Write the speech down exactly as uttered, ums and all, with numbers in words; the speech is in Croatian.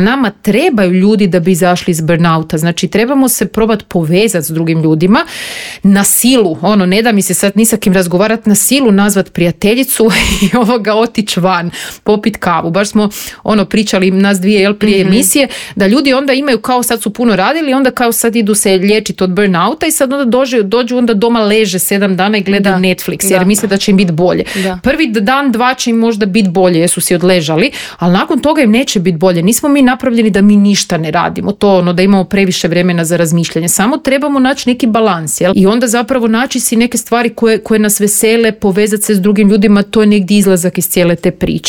Nama trebaju ljudi da bi izašli iz burnouta, znači trebamo se probati povezati s drugim ljudima na silu, ono, ne da mi se sad ni sa kim razgovarati, na silu nazvat prijateljicu i ovoga otići van, popit kavu. Baš smo ono pričali nas dvije jel, prije mm-hmm. emisije, da ljudi onda imaju kao sad su puno radili, onda kao sad idu se liječiti od burnouta i sad onda dođu, dođu onda doma leže sedam dana i gledaju da. Netflix jer da. Misle da će im biti bolje. Da. Prvi dan, dva će im možda biti bolje jer su si odležali, ali nakon toga im neće biti bolje. Nismo mi napravljeni da mi ništa ne radimo, to ono da imamo previše vremena za razmišljanje, samo trebamo naći neki balans, jel? I onda zapravo naći si neke stvari koje, koje nas vesele, povezati se s drugim ljudima, to je negdje izlazak iz cijele te priče.